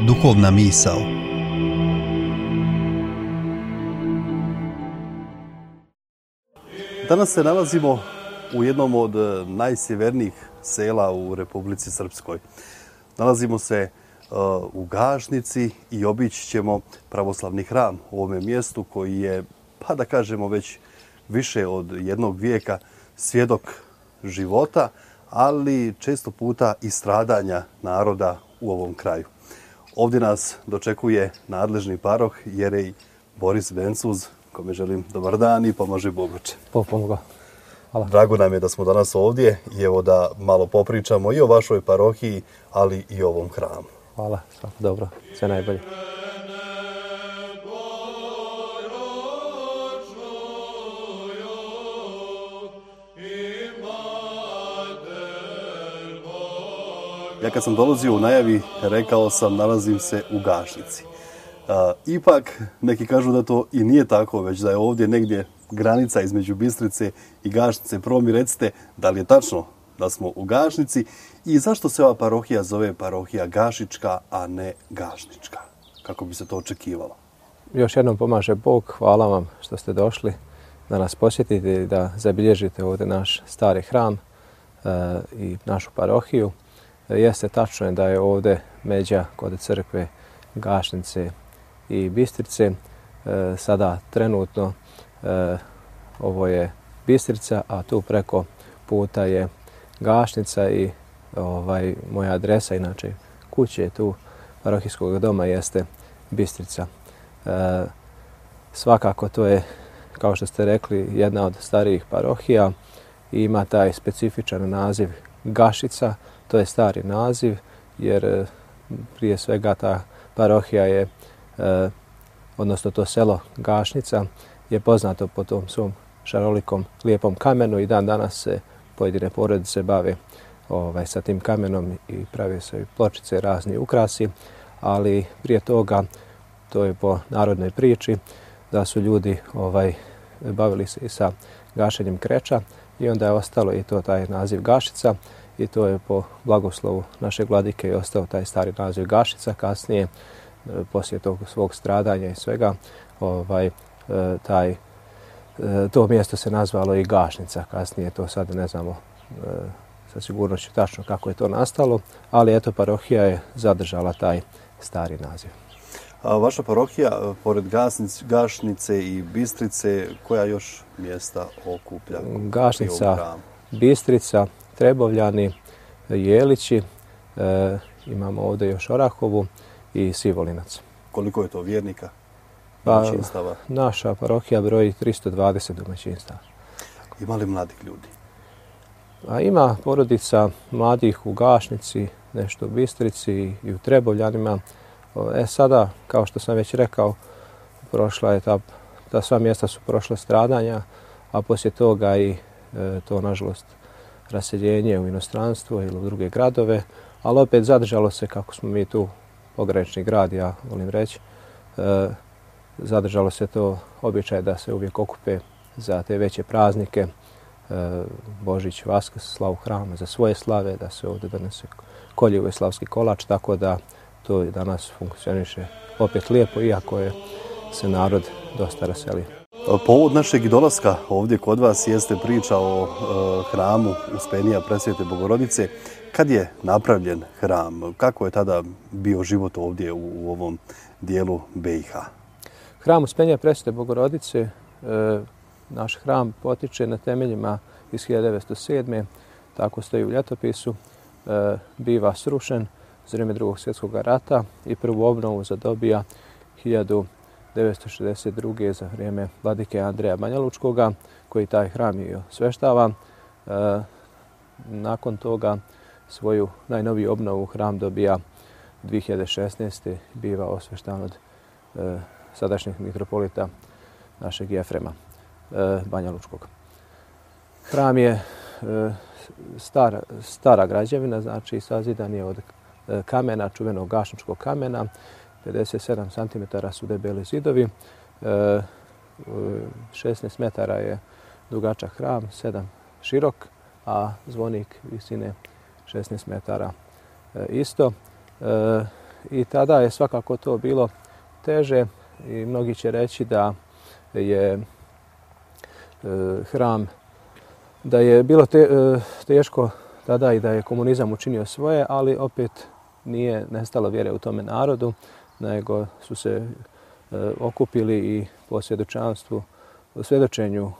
duhovna misao. Danas se nalazimo u jednom od najsjevernijih sela u Republici Srpskoj. Nalazimo se u Gašnici i obići ćemo pravoslavni hram u ovome mjestu koji je, pa da kažemo, već više od jednog vijeka svjedok života, ali često puta i stradanja naroda u ovom kraju. Ovdje nas dočekuje nadležni paroh jerej Boris Bencuz, kome želim dobar dan i pomaži Bogoče. Pomoga. Hvala. Drago nam je da smo danas ovdje i evo da malo popričamo i o vašoj parohiji, ali i o ovom hramu. Hvala, svako dobro, sve najbolje. Ja kad sam dolazio u najavi, rekao sam nalazim se u Gašnici. Ipak, neki kažu da to i nije tako, već da je ovdje negdje granica između Bistrice i Gašnice. Prvo mi recite da li je tačno da smo u Gašnici i zašto se ova parohija zove parohija Gašička, a ne Gašnička? Kako bi se to očekivalo? Još jednom pomaže Bog, hvala vam što ste došli da nas posjetite i da zabilježite ovdje naš stari hram i našu parohiju. Jeste tačno da je ovdje međa kod crkve Gašnice i Bistrice. Sada trenutno ovo je Bistrica, a tu preko puta je Gašnica i moja adresa, inače kuće tu parohijskog doma jeste Bistrica. Svakako to je, kao što ste rekli, jedna od starijih parohija i ima taj specifičan naziv Gašica. To je stari naziv jer prije svega ta parohija je, odnosno to selo Gašnica je poznato po tom svom šarolikom lijepom kamenu i dan danas se pojedine porodice bave sa tim kamenom i prave se pločice, razni ukrasi, ali prije toga, to je po narodnoj priči, da su ljudi bavili se i sa gašenjem kreča i onda je ostalo i to taj naziv Gašica i to je po blagoslovu našeg vladike i ostao taj stari naziv Gašica. Kasnije, poslije tog svog stradanja i svega, to mjesto se nazvalo i Gašnica. Kasnije to sad ne znamo sa sigurnošću tačno kako je to nastalo, ali eto parohija je zadržala taj stari naziv. A vaša parohija, pored Gašnice i Bistrice, koja još mjesta okuplja? Gašnica, Bistrica, Trebovljani, Jelići, imamo ovdje još Orahovu i Sivolinac. Koliko je to vjernika? Domaćinstava? Naša parohija broji 320 domaćinstava. Ima li mladih ljudi? Ima porodica mladih u Gašnici, nešto u Bistrici i u Trebovljanima. Sada, kao što sam već rekao, prošla je ta sva mjesta su prošle stradanja, a poslije toga i to, nažalost, raseljenje u inostranstvo ili u druge gradove, ali opet zadržalo se, kako smo mi tu pogranični grad, ja volim reći, zadržalo se to običaj da se uvijek okupe za te veće praznike, Božić, Vaskrs, slavu hrama za svoje slave, da se ovdje donese koljevo i slavski kolač, tako da to danas funkcioniše opet lijepo, iako je se narod dosta raselio. Povod našeg dolaska ovdje kod vas jeste priča o hramu Uspenija Presvete Bogorodice. Kad je napravljen hram? Kako je tada bio život ovdje u ovom dijelu BiH? Hram Uspenija Presvete Bogorodice, naš hram potiče na temeljima iz 1907. Tako stoji u ljetopisu. Biva srušen za vrijeme Drugog svjetskog rata i prvu obnovu zadobija 1962. za vrijeme vladike Andreja Banjalučkoga, koji taj hram i osveštava. Nakon toga svoju najnoviju obnovu hram dobija 2016. biva osveštan od sadašnjeg mitropolita našeg Jefrema Banjalučkog. Hram je stara građevina, znači sazidan je od kamena, čuvenog gašničkog kamena. 57 cm su debeli zidovi, 16 metara je dugačak hram, 7 širok, a zvonik visine 16 metara isto. i tada je svakako to bilo teže i mnogi će reći da je hram, da je bilo teško tada i da je komunizam učinio svoje, ali opet nije nestalo vjere u tome narodu, nego su se okupili i po svjedočenju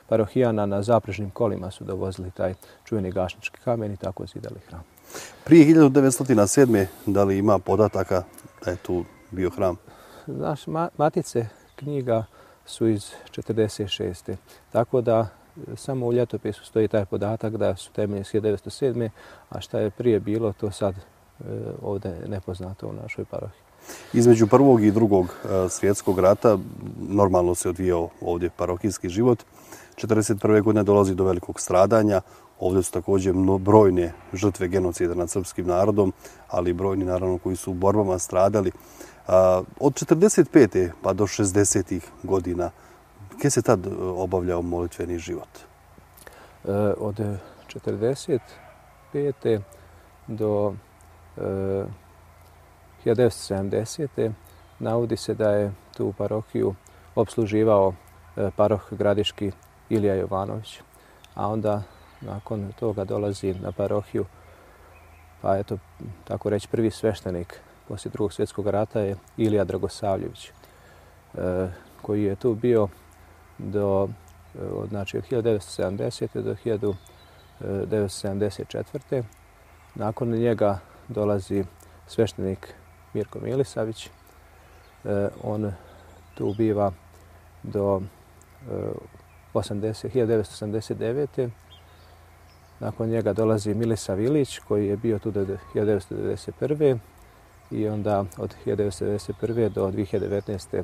parohijana na zaprežnim kolima su dovozili taj čuveni gašnički kamen i tako zidali hram. Prije 1907. da li ima podataka da je tu bio hram? Znaš, matice knjiga su iz 1946. Tako da samo u ljetopisu stoji taj podatak da su temelje iz 1907. A šta je prije bilo, to sad ovdje je nepoznato u našoj parohiji. Između Prvog i Drugog svjetskog rata normalno se odvijao ovdje parohijski život. 1941. godine dolazi do velikog stradanja. Ovdje su također brojne žrtve genocida nad srpskim narodom, ali i brojni naravno koji su u borbama stradali. Od 1945. pa do 60. godina, gdje se tad obavljao molitveni život? Od 1945. do 1970. navodi se da je tu parohiju opsluživao paroh gradiški Ilija Jovanović, a onda nakon toga dolazi na parohiju, pa eto, tako reći, prvi sveštenik poslije Drugog svjetskog rata je Ilija Dragosavljević, koji je tu bio znači od 1970. do 1974. Nakon njega dolazi sveštenik Mirko Milisavić. On tu biva do 1989. Nakon njega dolazi Milisav Ilić koji je bio tu do 1991. I onda od 1991. do 2019.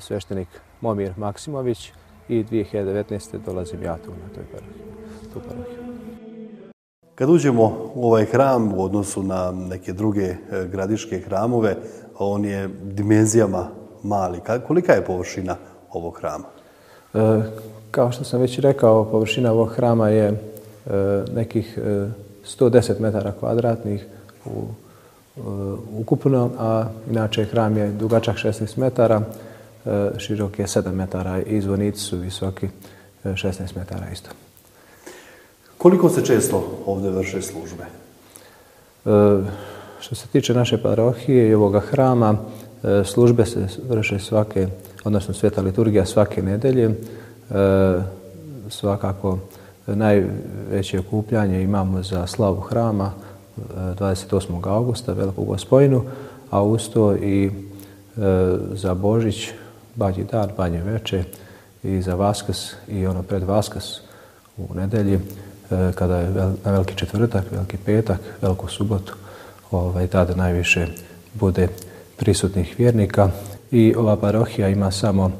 Sveštenik Momir Maksimović i 2019. dolazim ja tu na tu parohiju. Kad uđemo u ovaj hram u odnosu na neke druge gradiške hramove, on je dimenzijama mali. Kolika je površina ovog hrama? Kao što sam već rekao, površina ovog hrama je nekih 110 metara kvadratnih ukupno, a inače hram je dugačak 16 metara, širok je 7 metara i zvonici su visoki 16 metara isto. Koliko se često ovdje vrše službe? Što se tiče naše parohije i ovoga hrama, službe se vrše odnosno sveta liturgija svake nedelje. Svakako najveće okupljanje imamo za slavu hrama 28. augusta, Veliku Gospojinu, a usto i za Božić, Badnji dan, Badnje veče i za Vaskrs i ono pred Vaskrs u nedelji, kada je na Veliki četvrtak, Veliki petak, Veliku subotu, tada najviše bude prisutnih vjernika i ova parohija ima samo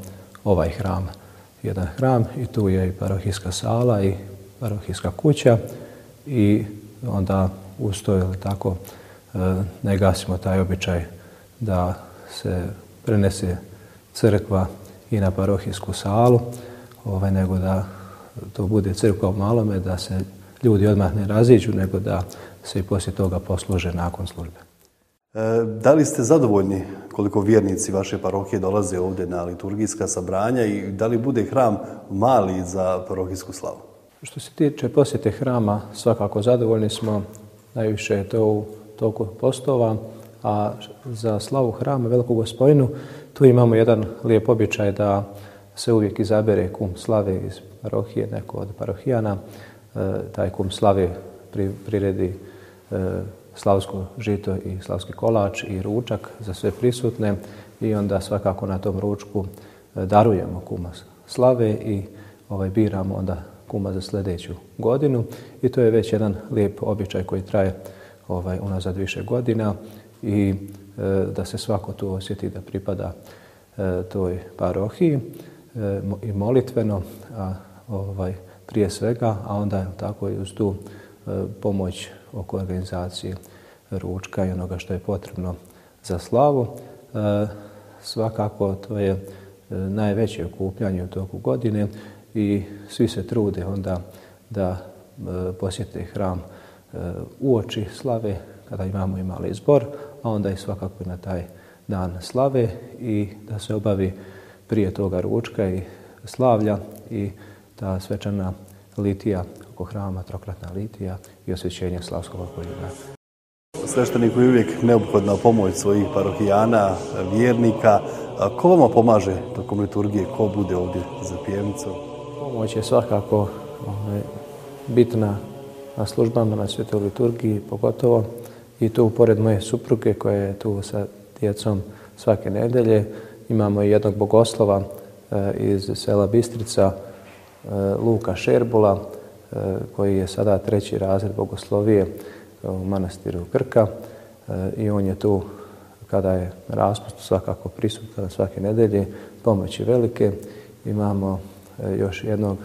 ovaj hram. Jedan hram i tu je i parohijska sala i parohijska kuća i onda uz to tako ne gasimo taj običaj da se prenese crkva i na parohijsku salu, nego da to bude crkva u malome, da se ljudi odmah ne raziđu, nego da se i poslije toga posluže nakon službe. Da li ste zadovoljni koliko vjernici vaše parohije dolaze ovdje na liturgijska sabranja i da li bude hram mali za parohijsku slavu? Što se tiče posjete hrama, svakako zadovoljni smo, najviše je to u toku postova, a za slavu hrama Veliku Gospojinu tu imamo jedan lijep običaj da se uvijek izabere kum slave iz parohije, neko od parohijana. Taj kum slave priredi slavsko žito i slavski kolač i ručak za sve prisutne i onda svakako na tom ručku darujemo kuma slave i biramo onda kuma za sljedeću godinu i to je već jedan lijep običaj koji traje unazad više godina i da se svako tu osjeti da pripada toj parohiji i molitveno, prije svega, a onda tako i uz tu pomoć oko organizacije ručka i onoga što je potrebno za slavu. Svakako to je najveće okupljanje u toku godine i svi se trude onda da posjete hram uoči slave kada imamo i mali zbor, a onda i svakako na taj dan slave i da se obavi prije toga ručka i slavlja i ta svečana litija oko hrama, trokratna litija i osvećenje slavskog poljuba. Svešteniku je uvijek neophodna pomoć svojih parohijana, vjernika. Ko vama pomaže tokom liturgije? Ko bude ovdje za pjevnicom? Pomoć je svakako bitna na službama, na svetoj liturgiji pogotovo. I tu, pored moje supruge koja je tu sa djecom svake nedelje, imamo i jednog bogoslova iz sela Bistrica, Luka Šerbula, koji je sada 3. razred bogoslovije u manastiru Krka i on je tu kada je raspust svakako prisutan svake nedelje, pomoći velike. Imamo još jednog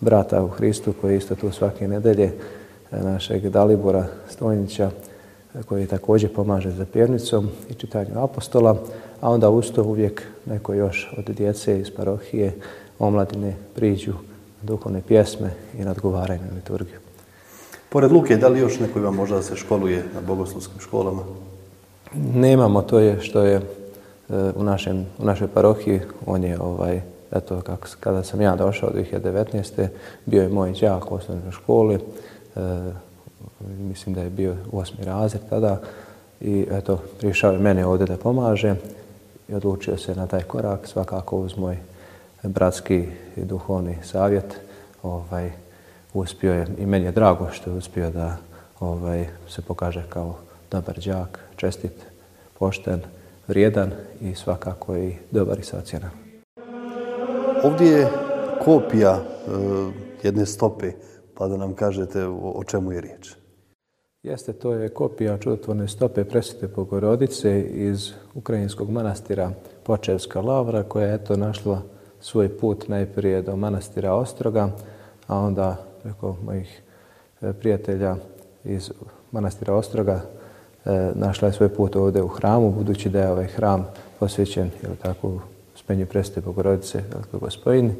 brata u Hristu koji je isto tu svake nedelje, našeg Dalibora Stojnića, koji također pomaže za pjevnicom i čitanju apostola, a onda uz to uvijek neko još od djece iz parohije, omladine priđu duhovne pjesme i nadgovaraju na liturgiju. Pored Luke, da li još neko ima možda da se školuje na bogoslovskim školama? Nemamo, to je što je u našoj parohiji. On je, eto, kada sam ja došao 2019. bio je moj đak u osnovnoj školi. Mislim da je bio 8. razred tada i eto, prišao je mene ovdje da pomaže i odlučio se na taj korak, svakako uz moj bratski i duhovni savjet. Uspio je i meni je drago što je uspio da se pokaže kao dobar đak, čestit, pošten, vrijedan i svakako i dobar i socijalan. Ovdje je kopija jedne stope, pa da nam kažete o čemu je riječ. Jeste, to je kopija čudotvorne stope Presvete Bogorodice iz ukrajinskog manastira Počevska Lavra, koja je eto našla svoj put najprije do manastira Ostroga, a onda preko mojih prijatelja iz manastira Ostroga našla je svoj put ovdje u hramu, budući da je ovaj hram posvećen Uspenju Presvete Bogorodice Velikoj Gospojini,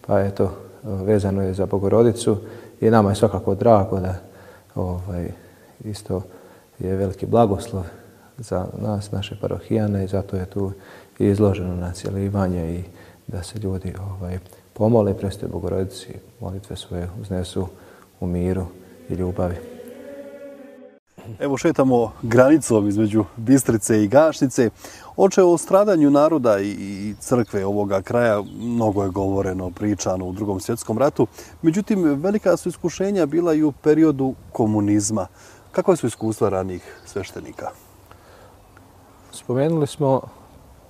pa eto, vezano je za Bogorodicu i nama je svakako drago da isto je veliki blagoslov za nas, naše parohijane, i zato je tu izloženo na cjelivanje i da se ljudi pomole Presvetoj Bogorodici, molitve svoje uznesu u miru i ljubavi. Evo šetamo granicom između Bistrice i Gašnice. O stradanju naroda i crkve ovoga kraja mnogo je govoreno, pričano u Drugom svjetskom ratu. Međutim, velika su iskušenja bila i u periodu komunizma. Kakva su iskustva ranijih sveštenika? Spomenuli smo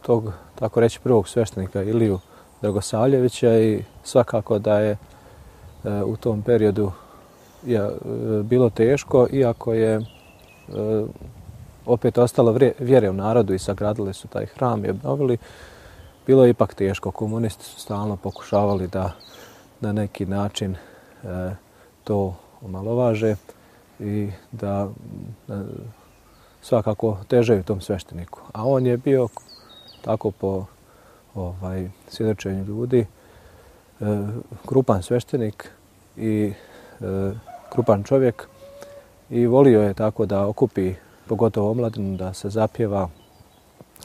tog, tako reći, prvog sveštenika Iliju Dragosavljevića i svakako da je u tom periodu bilo teško, iako je opet ostalo vjere u narodu i sagradili su taj hram i obnovili. Bilo je ipak teško. Komunisti su stalno pokušavali da na neki način to omalovaže i da svakako težaju tom svešteniku. A on je bio tako po svjedočenju ljudi krupan sveštenik i krupan čovjek i volio je tako da okupi pogotovo omladinu, da se zapjeva,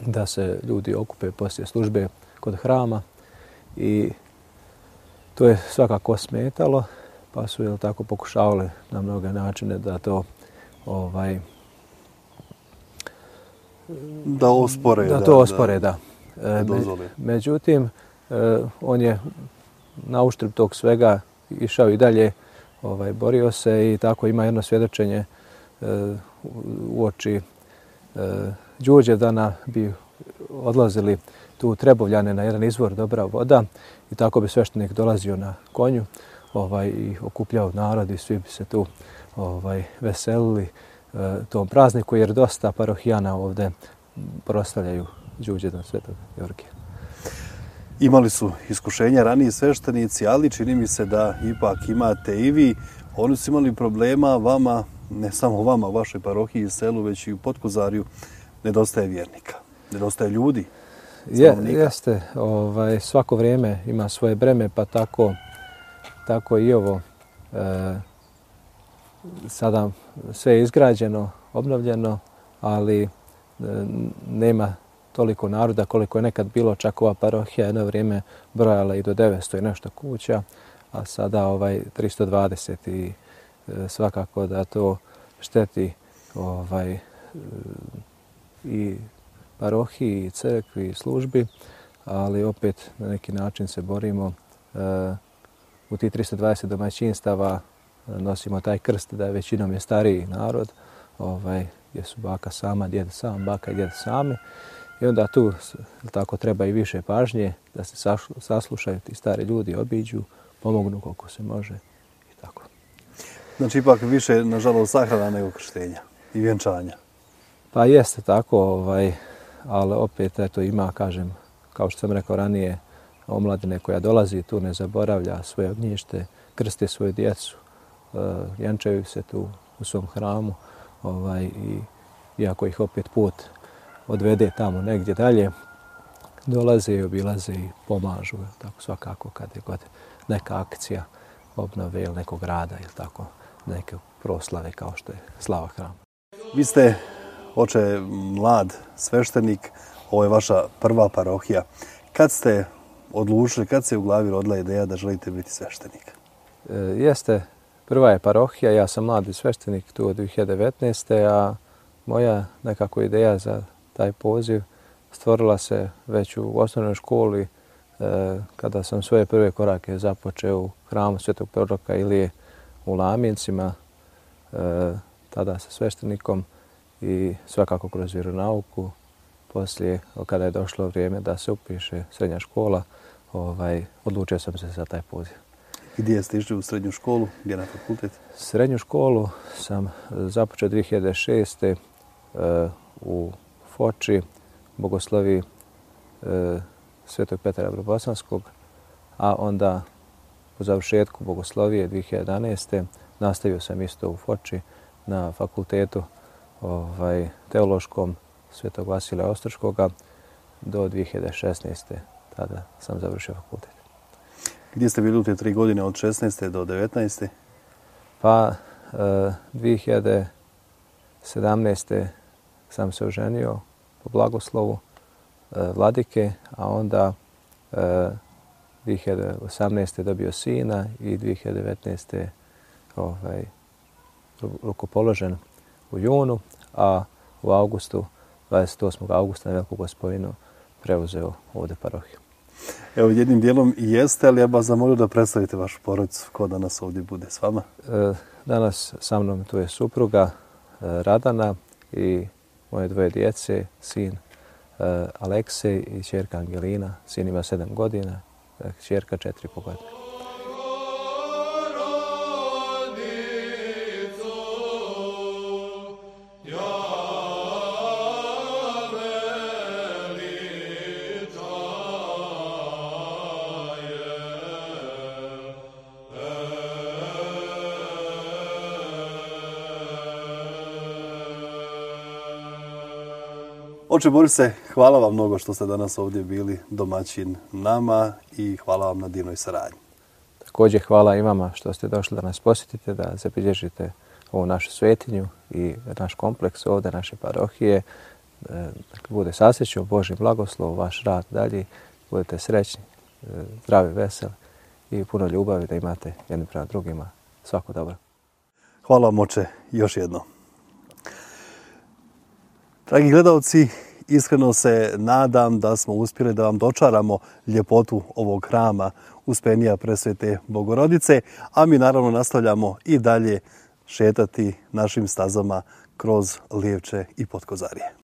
da se ljudi okupe poslije službe kod hrama i to je svakako smetalo, pa su tako pokušavali na mnoge načine da to da ospore. Međutim, on je na uštrb tog svega išao i dalje, borio se i tako ima jedno svjedočenje uoči Đurđevdana bi odlazili tu Trebovljane na jedan izvor dobra voda i tako bi sveštenik dolazio na konju i okupljao narod i svi bi se tu veselili tom prazniku jer dosta parohijana ovdje proslavljaju Đurđevdan Svetog Georgija. Imali su iskušenja raniji sveštenici, ali čini mi se da ipak imate i vi. Oni su imali problema vama, ne samo vama, vašoj parohiji i selu, već i u Potkozarju. Nedostaje vjernika, nedostaje ljudi. Jeste, svako vrijeme ima svoje breme, pa tako i ovo. Sada sve je izgrađeno, obnovljeno, ali nema toliko naroda koliko je nekad bilo. Čak ova parohija jedno vrijeme brojala i do 900 i nešto kuća, a sada 320 i svakako da to šteti i parohiji, i crkvi, i službi, ali opet na neki način se borimo. U tih 320 domaćinstava nosimo taj krst da većinom je stariji narod, gdje su baka sama, djed sam, baka i djed sami. I onda tu tako treba i više pažnje da se saslušaju ti stari ljudi, obiđu, pomognu koliko se može i tako. Znači ipak više, nažalost, sahrana nego krštenja i vjenčanja. Pa jeste tako, ali opet ima, kažem, kao što sam rekao ranije, omladine koja dolazi tu ne zaboravlja svoje ognjište, krsti svoju djecu, vjenčaju se tu u svom hramu i iako ih opet put odvede tamo negdje dalje, dolaze i obilaze i pomažu, tako svakako kad je god neka akcija obnove ili nekog rada ili tako neke proslave kao što je slava hrama. Vi ste, oče, mlad sveštenik, ovo je vaša prva parohija. Kad ste odlučili, kad se u glavi rodila ideja da želite biti sveštenik? Jeste, prva je parohija, ja sam mladi sveštenik tu od 2019. A moja nekako ideja za taj poziv stvorila se već u osnovnoj školi kada sam svoje prve korake započeo u hramu Svetog proroka Ilije u Lamincima, tada sa sveštenikom i svakako kroz vjeronauku. Poslije, kada je došlo vrijeme da se upiše srednja škola, odlučio sam se za taj poziv. Gdje ste išli u srednju školu? Gdje na fakultet? Srednju školu sam započeo 2006. U Foči, bogoslovi Svetog Petra Bosanskog, a onda u završetku bogoslovije 2011. nastavio sam isto u Foči na fakultetu teološkom Svetog Vasilija Ostroškoga do 2016. Tada sam završio fakultet. Gdje ste bili u te 3 godine od 16. do 19. Pa 2017. sam se oženio po blagoslovu vladike, a onda 2018. dobio sina i 2019. rukopoložen u junu, a u augustu, 28. augusta na Veliku Gospojinu preuzeo ovdje parohiju. Evo, jednim dijelom i jeste, ali ja bih vas zamolio da predstavite vašu porodicu. Ko danas ovdje bude s vama? Danas sa mnom tu je supruga Radana i moje 2 djece, sin Aleksej i ćerka Angelina. Sin ima 7 godina, ćerka 4,5 godine. Oče Borise, hvala vam mnogo što ste danas ovdje bili domaćin nama i hvala vam na divnoj saradnji. Također hvala i vama što ste došli da nas posjetite, da zabilježite ovu našu svetinju i naš kompleks ovdje, naše parohije. Bude sasreću, Božji blagoslov, vaš rad dalje, budete srećni, zdravi, veseli i puno ljubavi da imate jedni prema drugima. Svako dobro. Hvala vam, oče, još jednom. Dragi gledalci, iskreno se nadam da smo uspjeli da vam dočaramo ljepotu ovog hrama Uspenija Presvete Bogorodice, a mi naravno nastavljamo i dalje šetati našim stazama kroz Livče i Potkozarje.